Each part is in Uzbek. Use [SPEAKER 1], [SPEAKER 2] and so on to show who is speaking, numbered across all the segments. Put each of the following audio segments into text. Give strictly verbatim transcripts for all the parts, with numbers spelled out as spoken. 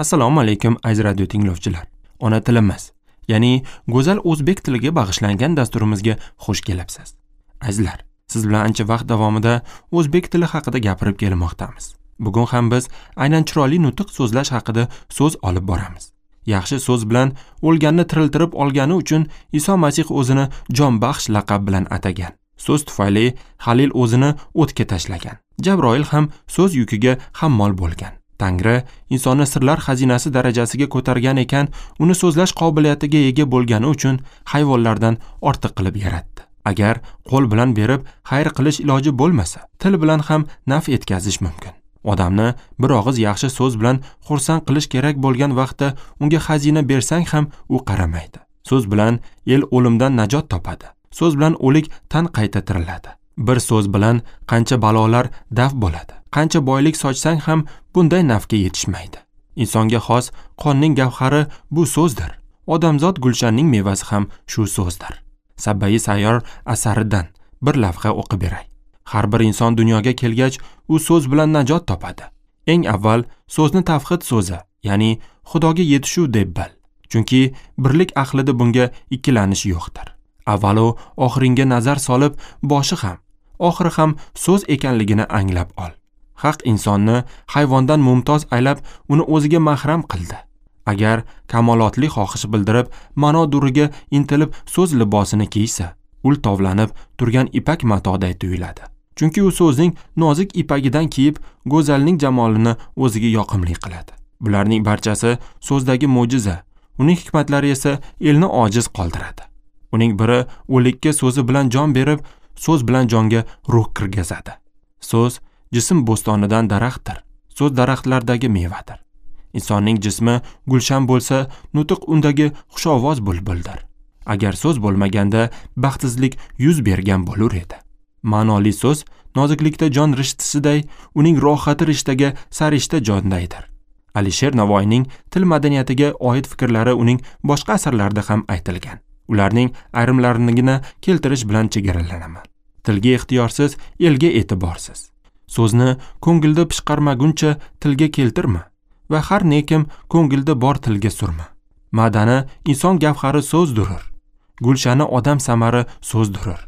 [SPEAKER 1] Assalomu alaykum aziz radio tinglovchilar. Ona tilimiz, ya'ni go'zal o'zbek tiliga bag'ishlangan dasturimizga xush kelibsiz. Azizlar, siz bilan ancha vaqt davomida o'zbek tili haqida gapirib kelmoqdamiz. Bugun ham biz aynan chiroyli nutq so'zlash haqida so'z olib boramiz. Yaxshi so'z bilan o'lganni tiriltirib olgani uchun Iso Masih o'zini jonbaxsh laqab bilan atagan. So'z tufayli Halil o'zini o'tga tashlagan. Jabroil ham so'z yukiga hammol bo'lgan. Tangri insonni sirlar xazinasi darajasiga ko'targan ekan, uni so'zlash qobiliyatiga ega bo'lgani uchun hayvonlardan ortiq qilib yaratdi. Agar qo'l bilan berib xayr qilish iloji bo'lmasa, til bilan ham naf etkazish mumkin. Odamni bir og'iz yaxshi so'z bilan xursand qilish kerak bo'lgan vaqtda unga xazina bersang ham u qaramaydi. So'z bilan el o'limdan najot topadi. So'z bilan o'lik tan qayta tiriladi. Bir so'z bilan qancha balolar daf bo'ladi. Qancha boylik sochsang ham bunday nafga yetishmaydi. Insonga xos qonning gavhari bu so'zdir. Odamzod gulshanning mevasi ham shu so'zdir. Sabbai Sayyor asaridan bir lavha o'qib beray. Har bir inson dunyoga kelgach, u so'z bilan najot topadi. Eng avval so'zni tavhid so'zi, ya'ni Xudoga yetishuv deb bil. Chunki birlik ahlida bunga ikkilanish yo'qdir. Avvalo oxiringga nazar solib, boshi ham, oxiri ham so'z ekanligini anglab ol. Haq insonni hayvondan mumtoz aylab, uni o'ziga mahram qildi. Agar kamolotli xohish bildirib, ma'no duriga intilib so'z libosini kiysa, ul tovlanib turgan ipak matoday tuyuladi. Chunki u so'zning nozik ipagidan kiyib, go'zalning jamolini o'ziga yoqimli qiladi. Bularning barchasi so'zdagi mo'jiza, uning hikmatlari esa elni ojiz qoldiradi. Uning biri o'likka so'zi bilan jon berib, so'z bilan jonga ruh kirgazadi. So'z jism bo'stonidan daraxtdir. So'z daraxtlardagi mevadir. Insonning jismi gulshan bo'lsa, nutq undagi xushovoz bulbuldir. Agar so'z bo'lmaganda baxtsizlik yuz bergan bo'lur edi. Ma'noli so'z noziklikda jon rishtisiday, uning rohati rishtaga sarishta jondaydir. Alisher Navoiyning til madaniyatiga oid fikrlari uning boshqa asarlarida ham aytilgan. Ularning ayrimlarinigina keltirish bilan chegaralanaman. Tilga ixtiyorsiz, elga e'tiborsiz. So'zni ko'ngilda pishqarmaguncha tilga keltirma va har nekim ko'ngilda bor tilga surma. Madani inson gavhari so'zdirur. Gulshani odam samari so'zdirur.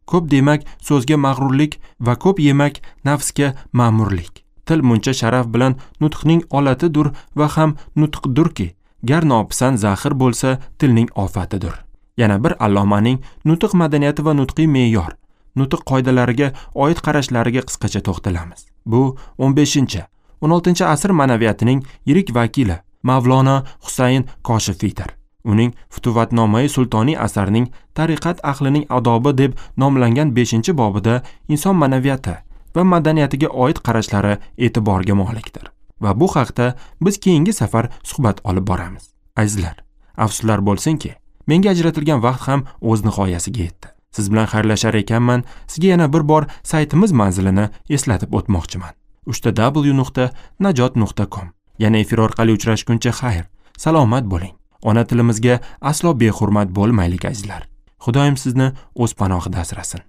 [SPEAKER 1] Ko'p demak so'zga mag'rurlik va ko'p yemak nafsga ma'murlik. Til muncha sharaf bilan nutqning olatidir va ham nutqdurki, gar nopisand zahir bo'lsa tilning ofatidir. Yana bir allomaning nutq madaniyati va nutqiy me'yor, nutq qoidalariga oid qarashlariga qisqacha to'xtalamiz. Bu o'n beshinchi, o'n oltinchi asr ma'naviyatining yirik vakili Mavlono Husayn Koshifiydir. Uning Futuvatnomai Sultoniy asarining Tariqat ahlining odobi deb nomlangan beshinchi bobida inson ma'naviyati va madaniyatiga oid qarashlari e'tiborga molikdir. Va bu haqda biz keyingi safar suhbat olib boramiz. Azizlar, afsuslar bo'lsinki, menga ajratilgan vaqt ham o'z nihoyasiga yetdi. Siz bilan xayrlashar ekanman, sizga yana bir bor saytimiz manzilini eslatib o'tmoqchiman. uch ta w nuqta najot nuqta com. Yana efir orqali uchrashguncha xayr, salomat bo'ling. Ona tilimizga aslo behurmat bo'lmaylik azizlar. Xudoyim sizni o'z panohida asrasin.